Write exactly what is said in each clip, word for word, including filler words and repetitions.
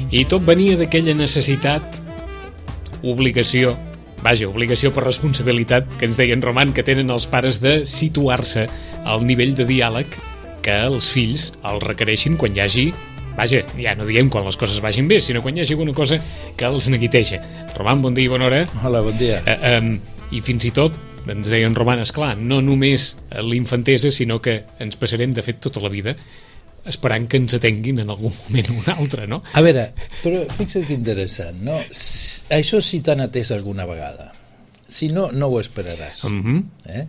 I tot venia d'aquella necessitat, obligació, vaja, obligació per responsabilitat, que ens deien Roman, que tenen els pares de situar-se al nivell de diàleg que els fills el requereixin quan hi hagi, vaja, ja no diem quan les coses vagin bé, sinó quan hi hagi alguna cosa que els neguiteja. Roman, bon dia i bona hora. Hola, bon dia. Eh, um, I fins i tot, ens deien Roman, esclar, no només l'infantesa, sinó que ens passarem, de fet, tota la vida esperant que ens atenguin en algun moment o un altre, no? A veure, però fixa't que interessant, no? Això sí t'han atès alguna vegada. Si no, no ho esperaràs. Uh-huh. eh?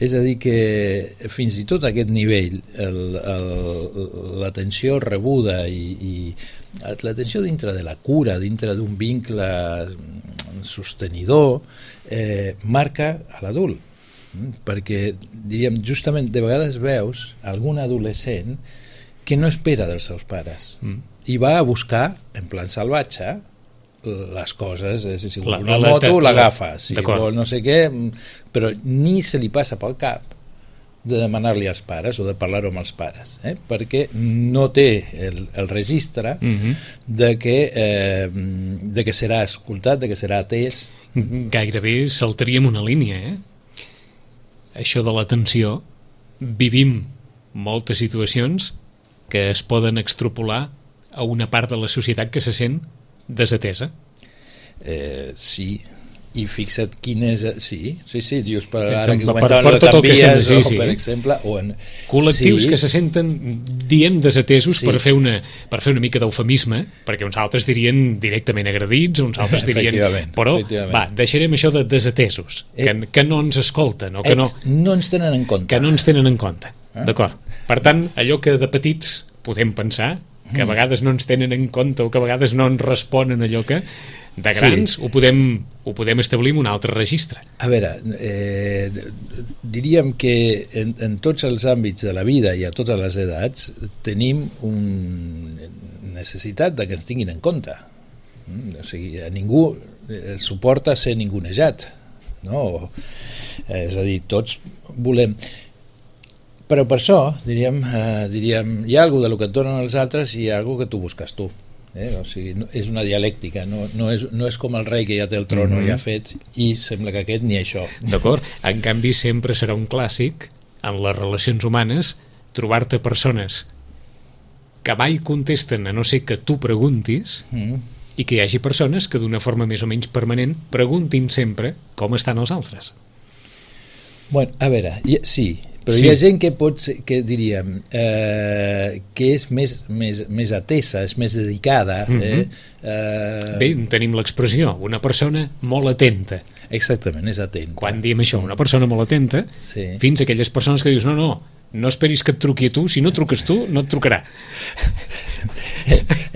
És a dir que fins i tot a aquest nivell l'atenció rebuda i, i l'atenció dintre de la cura, dintre d'un vincle sostenidor, eh, marca a l'adult. Perquè, diríem, justament de vegades veus algun adolescent que no espera dels seus pares mm. i va a buscar, en plan salvatge, les coses, és a dir, si vol una la, moto l'agafa, si vol no sé què, però ni se li passa pel cap de demanar-li als pares o de parlar-ho amb els pares, eh? Perquè no té el, el registre mm-hmm. de, que, eh, de que serà escoltat, de que serà atès. Gairebé saltaríem una línia, eh? Això de l'atenció, vivim moltes situacions que es poden extrapolar a una part de la societat que se sent desatesa. Eh, sí, i fixa't quin és... Sí, sí, sí, dius, per ara que comentaven per, per tot el que estem, sí, sí. per exemple... O en... Col·lectius sí. que se senten, diem, desatesos sí. per, fer una, per fer una mica d'eufemisme, perquè uns altres dirien directament agredits, uns altres dirien... Però, va, deixarem això de desatesos, eh, que, que no ens escolten, o que no... No ens tenen en compte. Que no ens tenen en compte, ah. d'acord. Per tant, allò que de petits podem pensar, que a vegades no ens tenen en compte o que a vegades no ens responen allò que de grans, sí. ho, podem, ho podem establir en un altre registre. A veure, eh, diríem que en, en tots els àmbits de la vida i a totes les edats tenim una necessitat de que ens tinguin en compte. O sigui, a ningú suporta ser ningunejat, no? És a dir, tots volem... Però per això, diríem, eh, diríem, hi ha alguna cosa del que et donen els altres i hi ha alguna cosa que tu busques tu. Eh? O sigui, no, és una dialèctica, no, no, és, no és com el rei que ja té el tron mm-hmm. ja fet i sembla que aquest ni això. D'acord, en canvi sempre serà un clàssic en les relacions humanes trobar-te persones que mai contesten a no ser que tu preguntis mm. i que hi hagi persones que d'una forma més o menys permanent preguntin sempre com estan els altres. Bueno, a veure, sí, però sí. Hi ha gent que pot ser, que diríem eh, que és més, més, més atesa, és més dedicada. Mm-hmm. eh, eh... Bé, tenim l'expressió, una persona molt atenta. Exactament, és atenta. Quan diem això, una persona molt atenta, sí. fins a aquelles persones que dius, no, no, no esperis que et truqui a tu, si no truques tu, no et trucarà.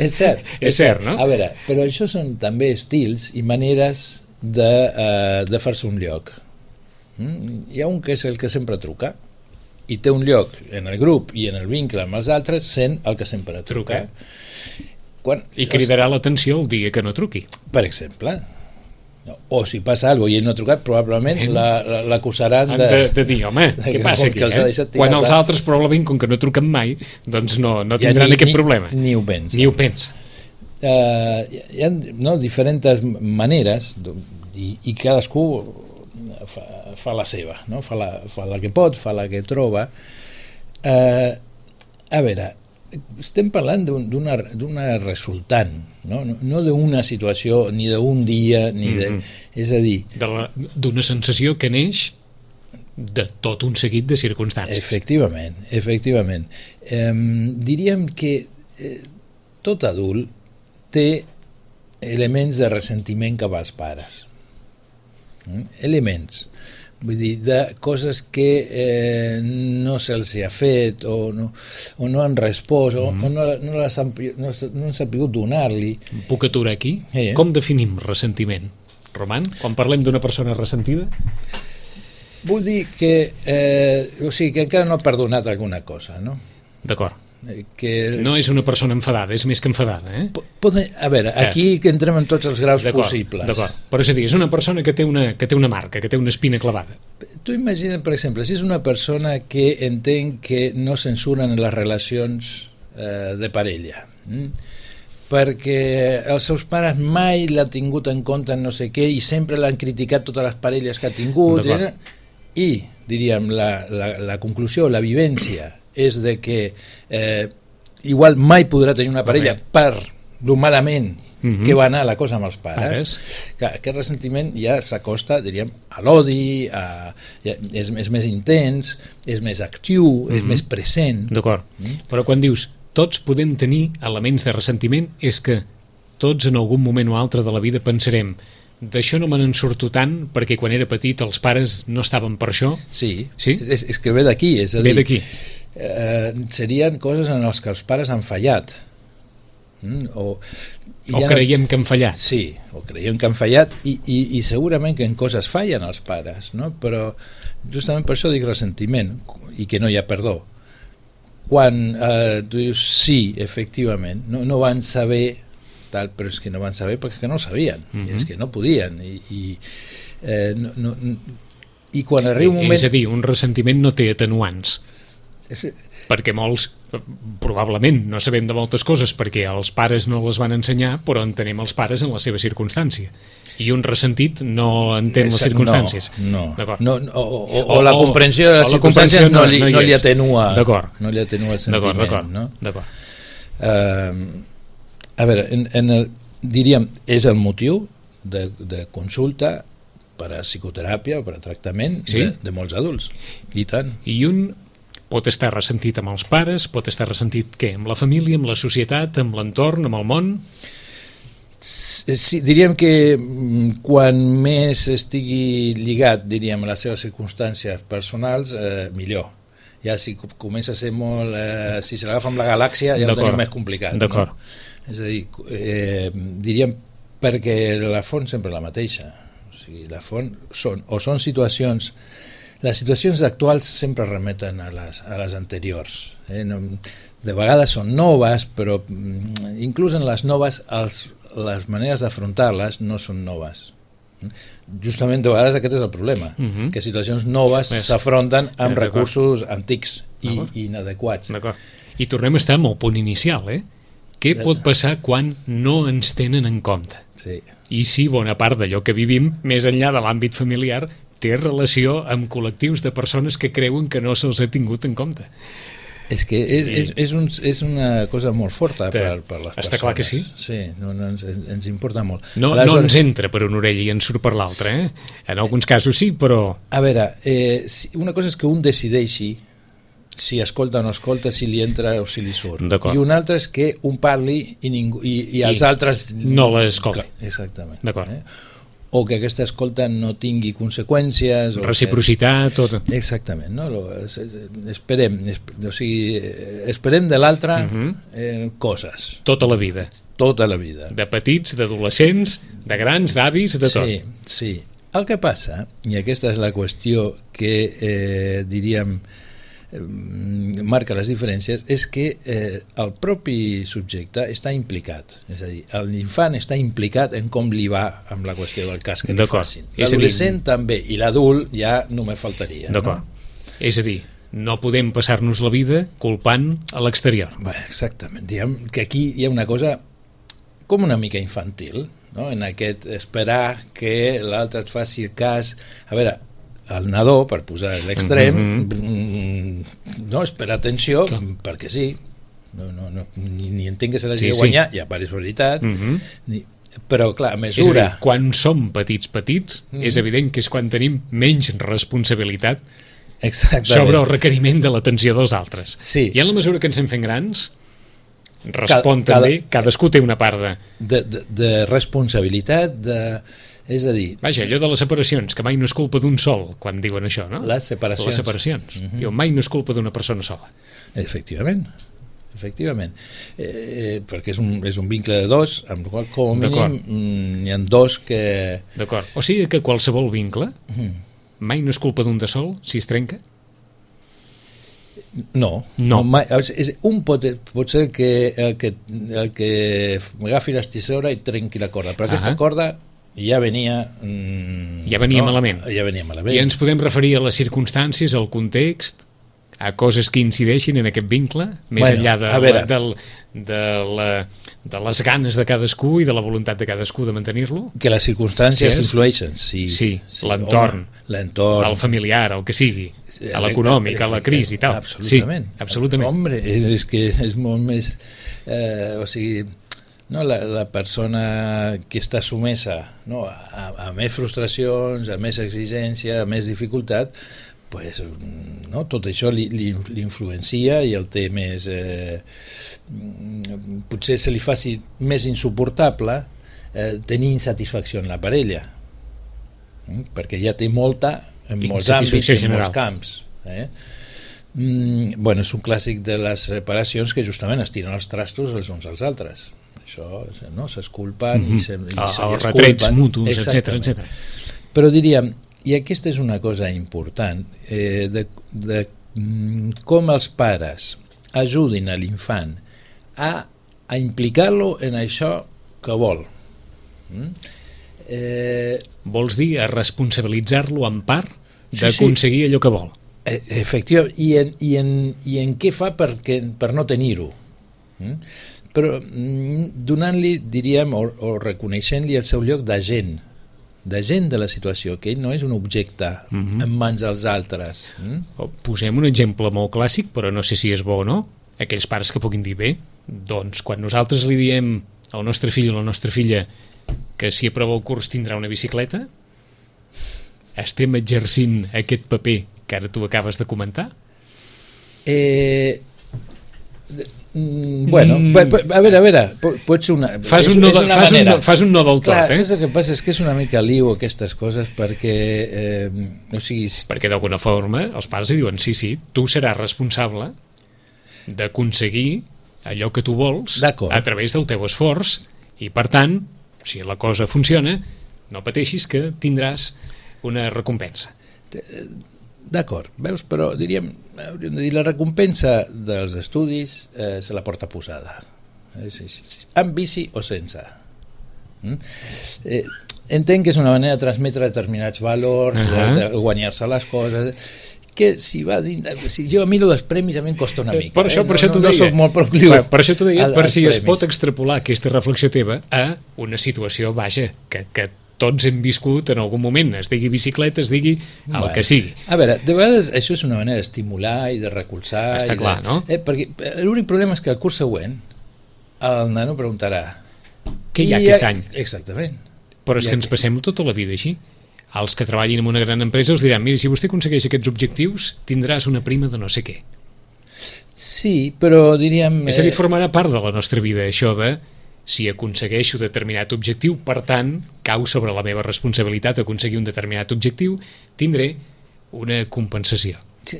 És cert. És cert, no? A veure, però això són també estils i maneres de, uh, de fer-se un lloc. Mm? Hi ha un que és el que sempre truca i té un lloc en el grup i en el vincle amb els altres sent el que sempre truca. truca. Quan, I cridarà l'atenció el dia que no truqui. Per exemple. No. O si passa alguna cosa i ell no ha trucat, probablement l'acusaran la, de... De, de dir, home, de què passa aquí? Eh? Quan els altres probablement, com que no truquen mai, doncs no, no tindran ja ni, aquest ni, problema. Ni ho pensa. Ni ho pensa. Uh, hi ha no, diferents maneres i, i cadascú fa, fa la seva, no? fa, la, fa la que pot, fa la que troba. Uh, a veure, estem parlant d'una d'una resultant, no, no, no d'una situació, ni d'un dia, ni de... Mm-hmm. És a dir... D'una sensació que neix de tot un seguit de circumstàncies. Efectivament, efectivament. Eh, diríem que eh, tot adult té elements de ressentiment cap als pares. Mm? Elements. Vull dir, de coses que eh, no se'ls ha fet o no, o no han respost o, mm. o no, no, les han, no, no han sabut donar-li. Puc aturar aquí? Eh. Com definim ressentiment? Roman, quan parlem d'una persona ressentida? Vull dir que, eh, o sigui, que encara no ha perdonat alguna cosa, no? D'acord. Que... No és una persona enfadada, és més que enfadada, eh? Pode... A veure, aquí eh. que entrem en tots els graus possibles. D'acord, però és a dir, és una persona que té una, que té una marca, que té una espina clavada. Tu imagina't, per exemple, si és una persona que entén que no censuren les relacions eh, de parella, mm? perquè els seus pares mai l'han tingut en compte no sé què i sempre l'han criticat totes les parelles que ha tingut eh? I diríem la, la, la conclusió, la vivència és de que eh, igual mai podrà tenir una parella okay. per lo malament uh-huh. que va anar la cosa amb els pares, que aquest ressentiment ja s'acosta, diríem, a l'odi, a, ja, és, és més intens, és més actiu, uh-huh. és més present. D'acord, uh-huh. però quan dius tots podem tenir elements de ressentiment és que tots en algun moment o altre de la vida pensarem d'això no me n'en surto tant perquè quan era petit els pares no estaven per això. Sí, sí? És, és que ve d'aquí, és a dir, ve d'aquí. Eh, serien coses en les que els pares han fallat. Mm? O, o ja creiem no... que han fallat. Sí, o creiem que han fallat i, i, i segurament que en coses fallen els pares, no? Però justament per això dic ressentiment i que no hi ha perdó. Quan eh, tu dius sí, efectivament, no, no van saber tal, però és que no van saber perquè no sabien, uh-huh. i és que no podien i, i, eh, no, no, i quan arriba un moment... És a dir, un ressentiment no té atenuants és... perquè molts probablement no sabem de moltes coses perquè els pares no les van ensenyar, però entenem els pares en la seva circumstància i un ressentit no entén les circumstàncies. No, no. no, no o, o, o la comprensió de les circumstàncies no, li, no, no li atenua no li atenua el sentiment. D'acord, no? d'acord. Uh, a veure, en, en el, diríem, és el motiu de, de consulta per a psicoteràpia o per a tractament sí? de, de molts adults. I tant. I un pot estar ressentit amb els pares, pot estar ressentit què? Amb la família, amb la societat, amb l'entorn, amb el món? Sí, diríem que quan més estigui lligat, diríem, a les seves circumstàncies personals, eh, millor. Ja si comença a ser molt... Eh, si se l'agafa amb la galàxia ja ho tenim més complicat. D'acord. No? És a dir, eh, diríem perquè la font sempre és la mateixa. O sigui, la font són, o són situacions... Les situacions actuals sempre remeten a les, a les anteriors. Eh? No, de vegades són noves, però inclús en les noves els, les maneres d'afrontar-les no són noves. Justament de vegades aquest és el problema, uh-huh. que situacions noves s'afronten amb eh, recursos antics i, i inadequats. I tornem a estar amb el punt inicial, eh? Què pot passar quan no ens tenen en compte? Sí. I si bona part d'allò que vivim, més enllà de l'àmbit familiar, té relació amb col·lectius de persones que creuen que no se'ls ha tingut en compte. És que és, és, és, un, és una cosa molt forta per, per les persones. Està clar que sí. Sí, no, no, ens, ens importa molt. No, no ens entra per una orella i ens surt per l'altra, eh? En alguns casos sí, però... A veure, eh, una cosa és que un decideixi si escolta o no escolta, si li entra o si li surt. I una altra és que un parli i, ningú, i, i els I altres... no l'escolta. Exactament. D'acord. Eh? O que aquesta escolta no tingui conseqüències... Reciprocitat, que... tot. Exactament, no? Esperem, o sigui, esperem de l'altre uh-huh. eh, coses. Tota la vida. Tota la vida. De petits, d'adolescents, de grans, d'avis, de tot. Sí, sí. El que passa, i aquesta és la qüestió que eh, diríem marca les diferències, és que eh, el propi subjecte està implicat, és a dir, l'infant està implicat en com li va amb la qüestió del cas que li facin. L'adolescent dir... també, i l'adult ja només faltaria. D'acord. No? És a dir, no podem passar-nos la vida culpant a l'exterior. Bé, exactament. Diguem que aquí hi ha una cosa com una mica infantil, no? En aquest esperar que l'altre et faci el cas. A veure, el nadó, per posar l'extrem, mm-hmm. no, espera atenció, clar. Perquè sí, no, no, no, ni, ni entenc que se l'hagi sí, de guanyar, sí. Ja pare és veritat, mm-hmm. ni, però clar, a mesura... És a dir, quan som petits petits, mm-hmm. és evident que és quan tenim menys responsabilitat exactament. Sobre el requeriment de l'atenció dels altres. Sí. I en la mesura que ens en fem grans, respon cada, també, cada, cadascú té una part de... De, de, de responsabilitat, de... És a dir... Vaja, allò de les separacions, que mai no és culpa d'un sol, quan diuen això, no? Les separacions. Les separacions. Uh-huh. Diu, mai no és culpa d'una persona sola. Efectivament, efectivament. Eh, perquè és un, és un vincle de dos, amb el qual, com a mínim, mm, hi ha dos que... D'acord. O sigui que qualsevol vincle uh-huh. mai no és culpa d'un de sol, si es trenca? No. No. no mai, és, un pot, pot ser que el que, el que agafi la tisora i trenqui la corda, però aquesta uh-huh. corda... ja venia... Mm, ja venia no, malament. Ja venia malament. I ens podem referir a les circumstàncies, al context, a coses que incideixin en aquest vincle, més bueno, enllà de, veure, del, de, la, de les ganes de cadascú i de la voluntat de cadascú de mantenir-lo? Que les circumstàncies Sí, és- influeixen, sí. Sí, l'entorn. Home, l'entorn. El familiar, el que sigui, a l'econòmic, a la crisi i tal. Absolutament. Sí, absolutament. Hombre, és, és que és molt més... Eh, o sigui, no, la, la persona que està sumesa, no, a, a més frustracions, a més exigència, a més dificultat, pues, no, tot això li, li, li influencia i el té més... Eh, potser se li faci més insuportable eh, tenir insatisfacció en la parella, mm? perquè ja té molta en molts àmbits, en general. molts camps. Eh? Mm, bueno, és un clàssic de les separacions que justament es tiren els trastos els uns als altres. Això, no, s'esculpen mm -hmm. i se, i el, se els retrets mutus, etcètera, Exactament. etcètera. Però diríem, i aquesta és una cosa important, eh, de, de mm, com els pares ajudin a l'infant a, a implicar-lo en això que vol. Mm? Eh, Vols dir a responsabilitzar-lo en part Sí, d'aconseguir allò que vol. eh, efectivament, i en, i, en, i en què fa perquè, per no tenir-ho. Mm? Però mm, donant-li, diríem, o, o reconeixent-li el seu lloc d'agent, d'agent de la situació, que ell no és un objecte Mhm. en mans dels altres. Mm? O posem un exemple molt clàssic, però no sé si és bo o no. Aquells pares que puguin dir bé, doncs quan nosaltres li diem al nostre fill o a la nostra filla que si aprova el curs tindrà una bicicleta, estem exercint aquest paper que ara tu acabes de comentar? Eh, mm, bueno, Mm. mm. a veure, a veure, po- pot ser una... Fas és- un no, és de, una fas un, manera. no- fas un no del tot, Clar, eh? saps el que passa? És que és una mica liu aquestes coses perquè, eh, o sigui, Perquè d'alguna forma els pares li diuen sí, sí, tu seràs responsable d'aconseguir allò que tu vols D'acord. a través del teu esforç i per tant, si la cosa funciona, no pateixis que tindràs una recompensa. d'acord, veus? Però diríem, hauríem de dir, la recompensa dels estudis eh, se la porta posada. Eh, sí, sí, sí. Amb bici o sense. Mm? Eh, entenc que és una manera de transmetre determinats valors, uh Ahà. -huh. de, de guanyar-se les coses, que si va dins, si jo a mi lo dels premis a mi em costa una mica. Per això, eh? per això no, t'ho no, deia. no soc molt procliu. Per, per això t'ho deia, al- per als si es premis. pot extrapolar aquesta reflexió teva a una situació, vaja, que, que tots hem viscut en algun moment, es digui bicicleta, es digui el Bueno, que sigui. A veure, de vegades això és una manera d'estimular i de recolzar. Està i clar, de, no? Eh, perquè l'únic problema és que el curs següent el nano preguntarà Què hi ha "I aquest a-" any? Exactament. Però és I que ens a- passem tota la vida així. Els que treballin en una gran empresa us diran, mira, si vostè aconsegueix aquests objectius, tindràs una prima de no sé què. Sí, però diríem... És a dir, eh, formarà part de la nostra vida, això de si aconsegueixo determinat objectiu, per tant, cau sobre la meva responsabilitat aconseguir un determinat objectiu, tindré una compensació. sí,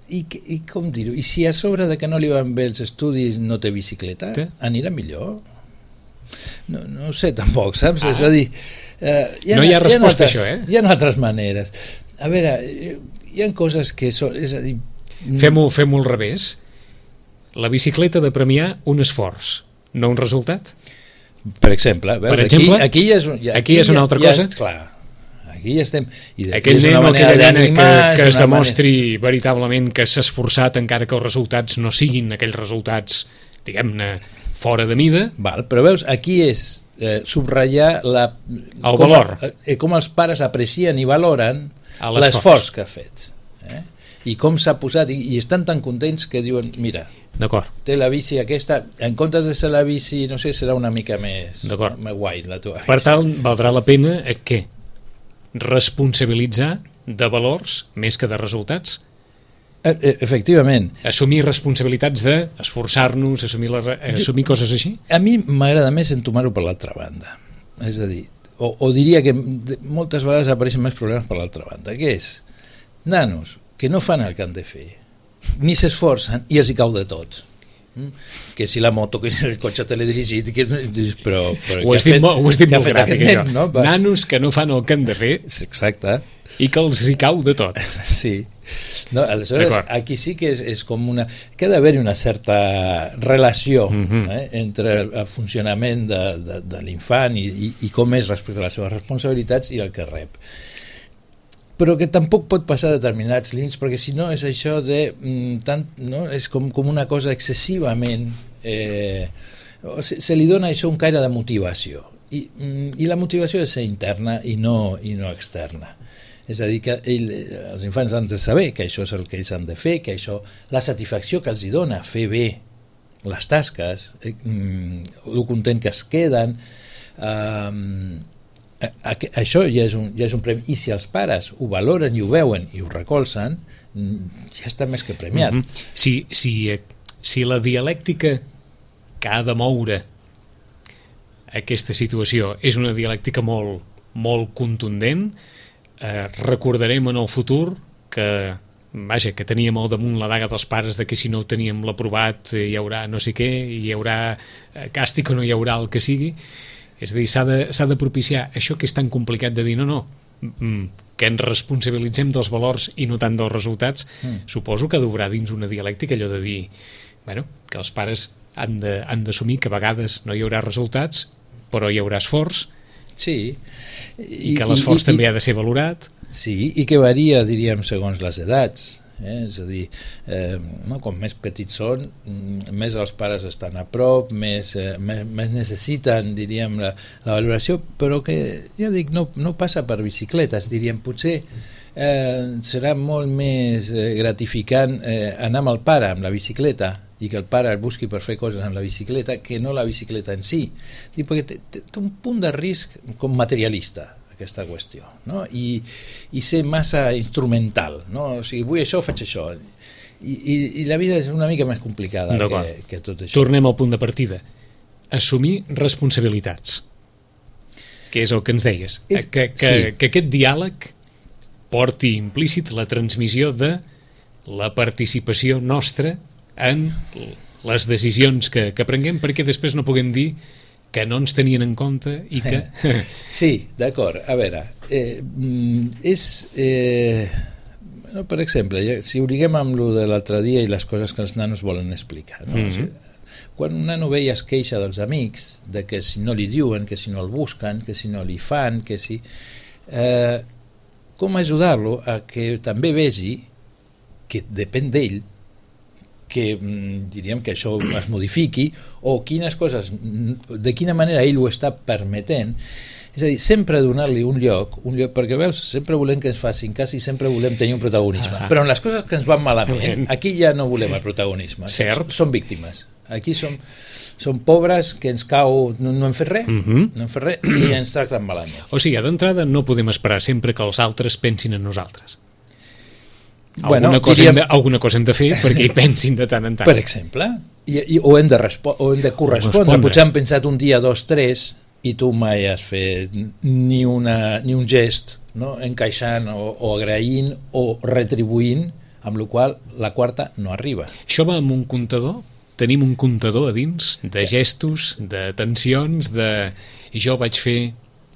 i, I com dir-ho? I si a sobre de que no li van bé els estudis no té bicicleta, Té. anirà millor? No, no ho sé tampoc, saps? Ah. És a dir... Eh, No hi ha resposta altres, a això, eh? Hi ha altres maneres. A veure, eh, hi ha coses que són... És a dir... Fem-ho fem al revés. La bicicleta de premiar un esforç, no un resultat. Per exemple, veus, Per exemple, aquí, aquí ja és, ja, aquí ja és una altra ja, cosa. Ja és, clar, aquí ja estem... I d'aquí Aquell és nen una o manera aquella nena que, d'animar, que és es una demostri veritablement que s'ha esforçat encara que els resultats no siguin aquells resultats, diguem-ne, fora de mida. Val, però veus, aquí és eh, subratllar la, El com, valor. eh, com els pares aprecien i valoren A l'esforç. l'esforç que ha fet. Eh? I com s'ha posat, i, i estan tan contents que diuen, mira, D'acord. té la bici aquesta, en comptes de ser la bici, no sé, serà una mica més, D'acord. més guai la teva bici. Per tant, valdrà la pena eh, què? Responsabilitzar de valors més que de resultats? Eh, eh, efectivament. Assumir responsabilitats d'esforçar-nos, assumir, la, re- assumir coses així? A mi m'agrada més entomar-ho per l'altra banda. És a dir, o, o diria que de- moltes vegades apareixen més problemes per l'altra banda, que és nanos que no fan el que han de fer, ni s'esforcen i els hi cau de tot. Mm? Que si la moto, que si el cotxe teledirigit, que, però, però Ho què has ha dit, fet- molt, ho has dit què ha molt fet gràfic, aquest això. nen, no? Va- Nanos que no fan el que han de fer Exacte. i que els hi cau de tot. Sí. No, aleshores, D'acord. aquí sí que és, és com una... que ha d'haver-hi una certa relació Mhm. eh, entre el, el funcionament de, de, de l'infant i, i, i com és respecte a les seves responsabilitats i el que rep. Però que tampoc pot passar determinats límits, perquè si no és això de... Mm, tant, no? És com, com una cosa excessivament eh, se, se li dona això un caire de motivació, i, i la motivació és interna i no, i no externa. És a dir, que ell, els infants han de saber que això és el que ells han de fer, que això, la satisfacció que els hi dona fer bé les tasques, eh, el content que es queden, eh, això ja és, un, ja és un premi, i si els pares ho valoren i ho veuen i ho recolzen, ja està més que premiat. Mm-hmm. Si, si, si la dialèctica que ha de moure aquesta situació és una dialèctica molt, molt contundent, Eh, recordarem en el futur que, vaja, que teníem al damunt la daga dels pares de que si no ho teníem l'aprovat eh, hi haurà no sé què, hi haurà eh, càstig o no hi haurà el que sigui. És a dir, s'ha de, s'ha de propiciar això que és tan complicat de dir no, no, mm, que ens responsabilitzem dels valors i no tant dels resultats. Mm. Suposo que d'obrar dins una dialèctica allò de dir, bueno, que els pares han de, han d'assumir que a vegades no hi haurà resultats, però hi haurà esforç. Sí. I, I que l'esforç i, i, també ha de ser valorat. Sí, i que varia, diríem, segons les edats. Eh? És a dir, eh, no, com més petits són, més els pares estan a prop, més, eh, més, més necessiten, diríem, la, la valoració, però que, ja dic, no, no passa per bicicletes, diríem, potser eh, serà molt més eh, gratificant eh, anar amb el pare amb la bicicleta i que el pare el busqui per fer coses amb la bicicleta que no la bicicleta en si. Dic, perquè té, té, té un punt de risc com materialista aquesta qüestió, no? I, i ser massa instrumental, no? O sigui, vull això, faig això. I, i, i la vida és una mica més complicada que, que tot això. Tornem al punt de partida. Assumir responsabilitats, que és el que ens deies. És, que, que, sí. que aquest diàleg porti implícit la transmissió de la participació nostra en les decisions que, que prenguem, perquè després no puguem dir que no ens tenien en compte i que... Sí, d'acord. A veure, eh, és... Eh, no, per exemple, si ho liguem amb lo de l'altre dia i les coses que els nanos volen explicar, no? Mm-hmm. O sigui, quan un nano ve i es queixa dels amics, de que si no li diuen, que si no el busquen, que si no li fan, que si... Eh, com ajudar-lo a que també vegi que depèn d'ell, que diríem que això es modifiqui, o quines coses, de quina manera ell ho està permetent. És a dir, sempre donar-li un lloc, un lloc, perquè veus, sempre volem que ens facin cas i sempre volem tenir un protagonisme, ah. però en les coses que ens van malament, aquí ja no volem el protagonisme. Cert. Som víctimes. Aquí som, som pobres que ens cau, no, no hem fet res, uh-huh. no hem fet res i ens tracten malament. O sigui, d'entrada no podem esperar sempre que els altres pensin en nosaltres. Bueno, alguna, cosa diríem... de, alguna cosa hem de fer perquè hi pensin de tant en tant. Per exemple, i, i, o, hem de respo- o hem de correspondre. Respondre. Potser han pensat un dia, dos, tres, i tu mai has fet ni, una, ni un gest, no? Encaixant o, o agraint o retribuint, amb la qual la quarta no arriba. Això va amb un comptador? Tenim un comptador a dins de gestos, de tensions, de jo vaig fer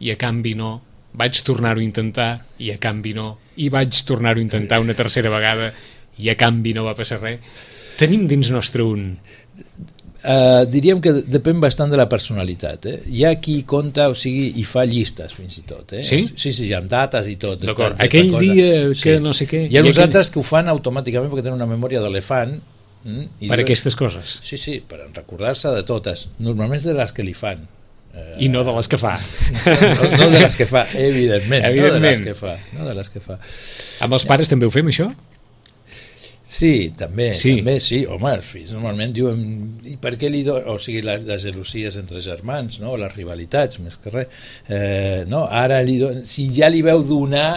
i a canvi no, vaig tornar-ho a intentar i a canvi no, i vaig tornar-ho a intentar una tercera vegada i a canvi no va passar res. Tenim dins nostre un... Uh, diríem que depèn bastant de la personalitat. Eh? Hi ha qui compta, o sigui, i fa llistes fins i tot. Eh? Sí? Sí, sí, amb dates i tot. D'acord, aquell dia que sí. no sé què... Hi ha uns aquell... altres que ho fan automàticament perquè tenen una memòria d'elefant. Mm, i per diuen... aquestes coses? Sí, sí, per recordar-se de totes. Normalment de les que li fan. I no de les que fa. No, no de les que fa, evidentment, evidentment. No de les que fa, no de les que fa. Amb els pares també ho fem, això? Sí, també, sí. també, sí. Home, els fills normalment diuen i per què li do... O sigui, les, les gelosies entre germans, no? Les rivalitats, més que res. Eh, no, ara li do... si ja li veu donar,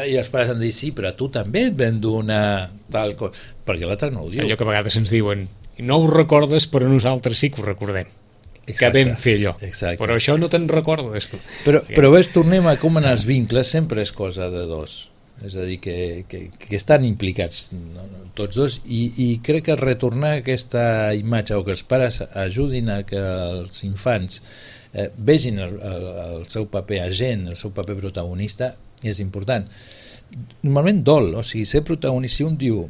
i els pares han de dir, sí, però a tu també et vam donar tal cosa, perquè l'altre no ho diu. Allò que a vegades ens diuen, no ho recordes, però nosaltres sí que ho recordem. Exacte, que vam fer allò, exacte. Però això no te'n recordes tu. Però, però ves, tornem a com en els vincles sempre és cosa de dos, és a dir que, que, que estan implicats no, no, tots dos i, i crec que retornar aquesta imatge o que els pares ajudin a que els infants eh, vegin el, el, el seu paper agent, el seu paper protagonista és important. Normalment dol, o sigui, ser protagonista, si un diu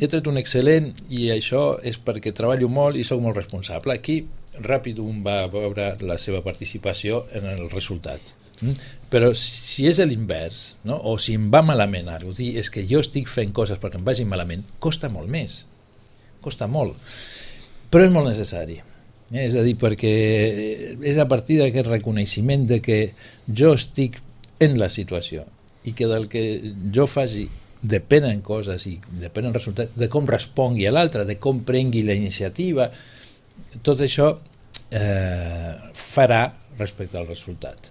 he tret un excel·lent i això és perquè treballo molt i sóc molt responsable, aquí ràpid un va veure la seva participació en el resultat. Mm? Però si és l'invers, no? O si em va malament ara, dir és que jo estic fent coses perquè em vagi malament, costa molt més. Costa molt. però és molt necessari. Eh? És a dir, perquè és a partir d'aquest reconeixement de que jo estic en la situació i que del que jo faci depenen coses i depenen resultats, de com respongui a l'altre, de com prengui la iniciativa, tot això eh, farà respecte al resultat.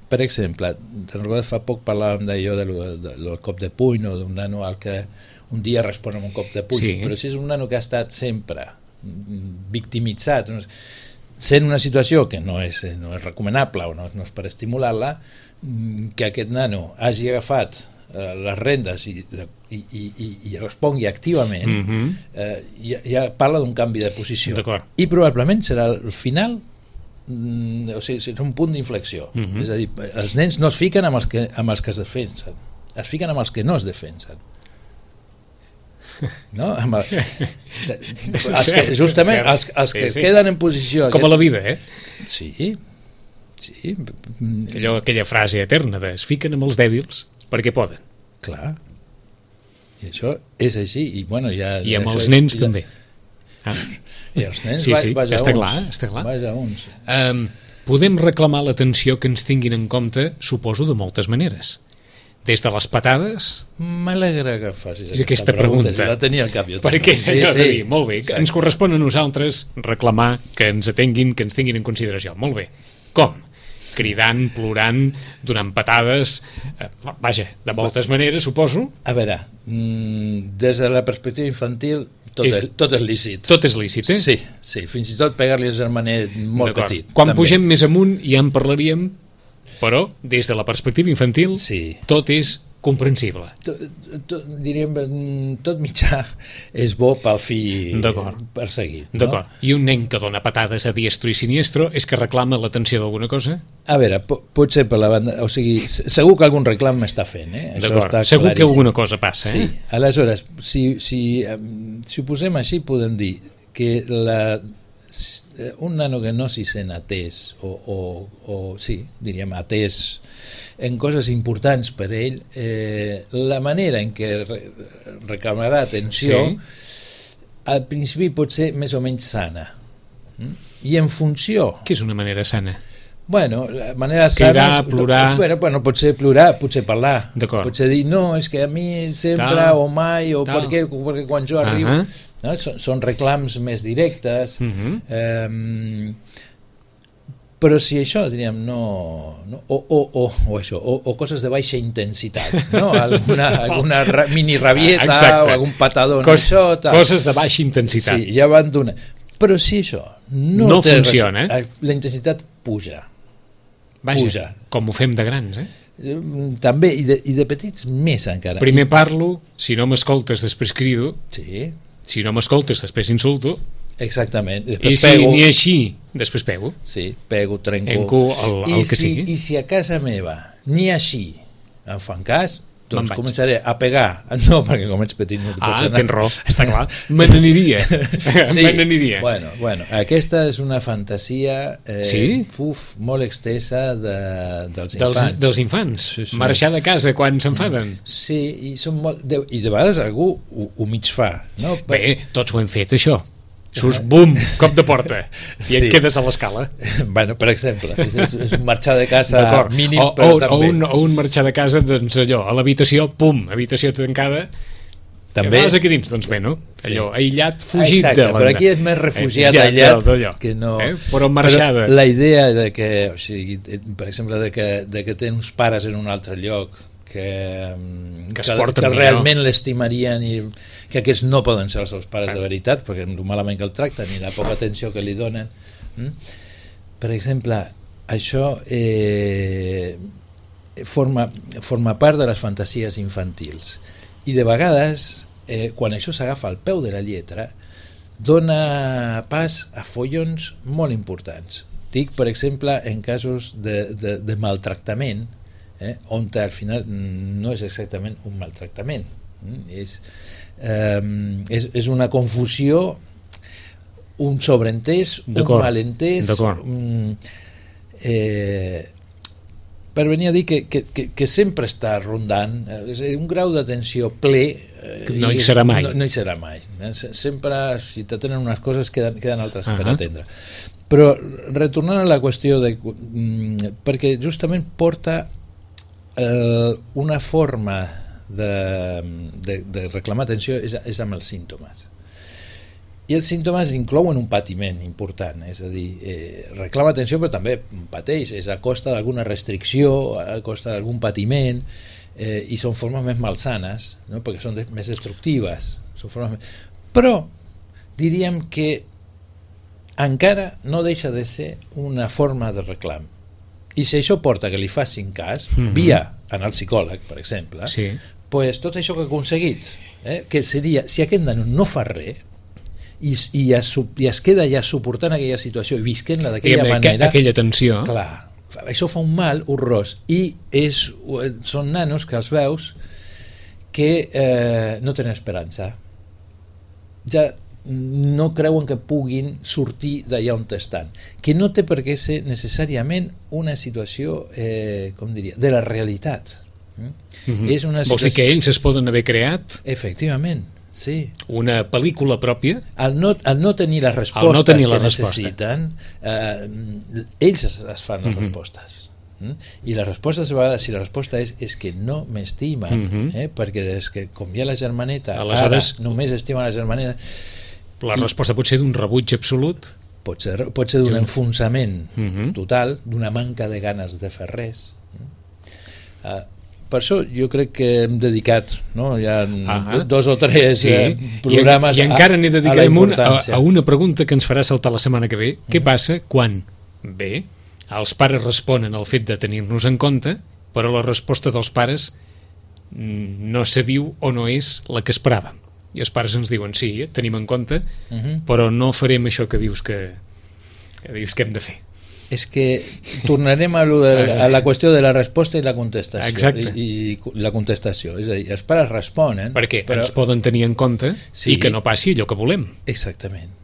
Per exemple, fa poc parlàvem d'allò del, del, del cop de puny o d'un nano al que un dia respon amb un cop de puny, sí. Però si és un nano que ha estat sempre victimitzat, sent una situació que no és, no és recomanable o no, no és per estimular-la, que aquest nano hagi agafat eh, les rendes i, i, i, i respongui activament, mm-hmm. eh, ja, ja parla d'un canvi de posició. I probablement serà el final, mm, o sigui, és un punt d'inflexió. Mm-hmm. És a dir, els nens no es fiquen amb els que, amb els que es defensen, es fiquen amb els que no es defensen. No? Amb el, els que, justament els, els que sí, sí. queden en posició com aquest... a la vida, eh? Sí, sí. Allò, aquella frase eterna de es fiquen amb els dèbils perquè poden. Clar, i això és així i, bueno, ja, i amb això, els nens ja... també ah. I els nens sí, sí, vaja està uns, clar, està clar. Vaja uns. Um, podem reclamar l'atenció que ens tinguin en compte, suposo, de moltes maneres. Des de les patades... M'alegra que facis aquesta, aquesta pregunta. Si la tenia al cap jo. Per què, senyor sí, sí. Molt bé. Exacte. Ens correspon a nosaltres reclamar que ens atenguin, que ens tinguin en consideració. Molt bé. Com? Cridant, plorant, donant patades... Eh, vaja, de moltes maneres, suposo. A veure, des de la perspectiva infantil tot és, és, tot és lícit. Tot és lícit, eh? Sí, sí. Fins i tot pegar-li al germanet molt petit. Quan també. Pugem més amunt ja en parlaríem... Però, des de la perspectiva infantil, sí. Tot és comprensible. Tot, tot, diríem, tot mitjà és bo pel fill perseguit. No? D'acord. I un nen que dona patades a diestro i siniestro és que reclama l'atenció d'alguna cosa? A veure, potser per la banda... O sigui, segur que algun reclam m'està fent, eh? Això està segur claríssim. Que alguna cosa passa, eh? Sí. Aleshores, si, si, si ho posem així, podem dir que la... un nano que no s'hi sent atès o, o, o sí, diríem atès en coses importants per ell, eh, la manera en què re reclamarà atenció sí. Al principi pot ser més o menys sana, i en funció... Què és una manera sana? Bueno, la manera sana... Cridar, plorar... Bueno, bueno, potser plorar, potser parlar. Potser dir, no, és que a mi sempre tal, o mai, o perquè, perquè quan jo arribo... Uh -huh. No? Són, són reclams més directes, uh -huh. eh, però si això, diríem, no... no o, o, o, o això, o, o coses de baixa intensitat, no? Alguna, alguna ra, mini rabieta exacte. O algun patadón, Cos, això... Tal. Coses de baixa intensitat. Sí, ja van donar. Però si això no, no funciona, res, la intensitat puja. Vaja, puja. Com ho fem de grans, eh? També, i de, i de petits més encara. Primer parlo, si no m'escoltes després crido, sí. Si no m'escoltes després insulto, exactament. I si pego, ni així després pego, sí, pego, trenco, enco el, el I que si, sigui. I si a casa meva ni així em fan cas, doncs començaré a pegar. No, perquè com ets petit no t'hi pots anar. Ah, tens raó, està clar. Me n'aniria. Sí, me n'aniria. Bueno, bueno, aquesta és una fantasia eh, sí? uf, molt extensa de, dels infants. Dels, dels infants? Sí, sí. Marxar de casa quan s'enfaden? Sí, i, són molt, de, i de vegades algú ho, ho mig fa. No? Bé, tots ho hem fet, això. Surts, bum, cop de porta i sí. Et quedes a l'escala. Bueno, per exemple, és, és un marxar de casa mínim, o, però o, també. O un, o un marxar de casa, doncs allò, a l'habitació, pum, habitació tancada, també. I vas aquí dins, doncs bé, no? Allò, sí. Aïllat, fugit exacte, de l'anda. Però aquí és més refugiat, eh, aïllat, aïllat que no... Eh? Però marxada. Però la idea de que, o sigui, per exemple, de que, de que tenen uns pares en un altre lloc que, que, que, que realment l'estimarien i que aquests no poden ser els seus pares de veritat perquè el malament que el tracten i la poca atenció que li donen. Mm? Per exemple, això eh, forma, forma part de les fantasies infantils i de vegades eh, quan això s'agafa al peu de la lletra dona pas a follons molt importants. Dic, per exemple, en casos de, de, de maltractament, eh, on al final no és exactament un maltractament, mm? és, eh, és, és una confusió, un sobreentès, un malentès. Mm, eh, per venir a dir que, que, que, que sempre està rondant, és a dir, un grau d'atenció ple eh, no hi serà mai. No, no hi serà mai. Sempre, si t'atenen unes coses, queden, queden altres uh -huh. per atendre. Però retornant a la qüestió de, perquè justament porta eh, una forma de, de, de reclamar atenció és, és amb els símptomes. I els símptomes inclouen un patiment important, és a dir, eh, reclama atenció però també pateix, és a costa d'alguna restricció, a costa d'algun patiment, eh, i són formes més malsanes, no? Perquè són de, més destructives. Són formes més... Però diríem que encara no deixa de ser una forma de reclam. I si això porta que li facin cas, mm-hmm. via anar al psicòleg, per exemple, sí. pues tot això que ha aconseguit, eh, que seria, si aquest nano no fa res, i, i, es, i es queda ja suportant aquella situació i visquent-la d'aquella manera, aquella tensió, clar, això fa un mal horrorós, i és, són nanos que els veus que eh, no tenen esperança, ja no creuen que puguin sortir d'allà on estan, que no té per què ser necessàriament una situació eh, com diria, de la realitat. Mm-hmm. És una situació... Vols dir que ells es poden haver creat? Efectivament, sí. Una pel·lícula pròpia? Al no, al no tenir les respostes no tenir la que resposta. necessiten, eh, ells es, es fan les mm-hmm. respostes. Mm? I la resposta, a vegades, si la resposta és, és que no m'estimen, mm-hmm. eh? perquè des que com hi ha la germaneta, aleshores ara només estimen la germaneta. La resposta pot ser d'un rebuig absolut? Pot ser, pot ser d'un enfonsament mm-hmm. total, d'una manca de ganes de fer res. Uh, per això jo crec que hem dedicat, no? Hi ha ah dos o tres sí. eh, programes I, i encara n'hi dedicarem a, un, a, a una pregunta que ens farà saltar la setmana que ve. Mm-hmm. Què passa quan, bé, els pares responen al fet de tenir-nos en compte, però la resposta dels pares no se diu o no és la que esperàvem? I els pares ens diuen, sí, eh, tenim en compte, uh-huh. però no farem això que dius que, que dius que hem de fer. És que tornarem a, lo de, a la qüestió de la resposta i la contestació. Exacte. I, i la contestació, és a dir, els pares responen... Perquè però... ens poden tenir en compte sí. i que no passi allò que volem. Exactament.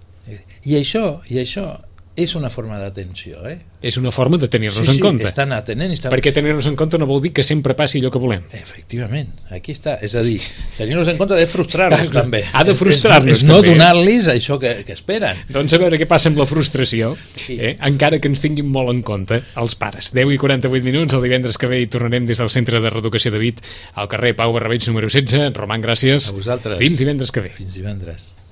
I això, i això és una forma d'atenció, eh? És una forma de tenir-nos sí, sí, en compte. Estan atenent, estan... Perquè tenir-nos en compte no vol dir que sempre passi allò que volem. Efectivament, aquí està. És a dir, tenir-nos en compte ha de frustrar-nos també. Ha de frustrar-nos és, és també. no donar-los això que, que esperen. Doncs a veure què passa amb la frustració, sí. eh? encara que ens tinguin molt en compte els pares. deu i quaranta-vuit minuts, el divendres que ve hi tornarem des del Centre de Reeducació de Vic, al carrer Pau Barrabeig número setze. Roman, gràcies. A vosaltres. Fins divendres que ve. Fins divendres.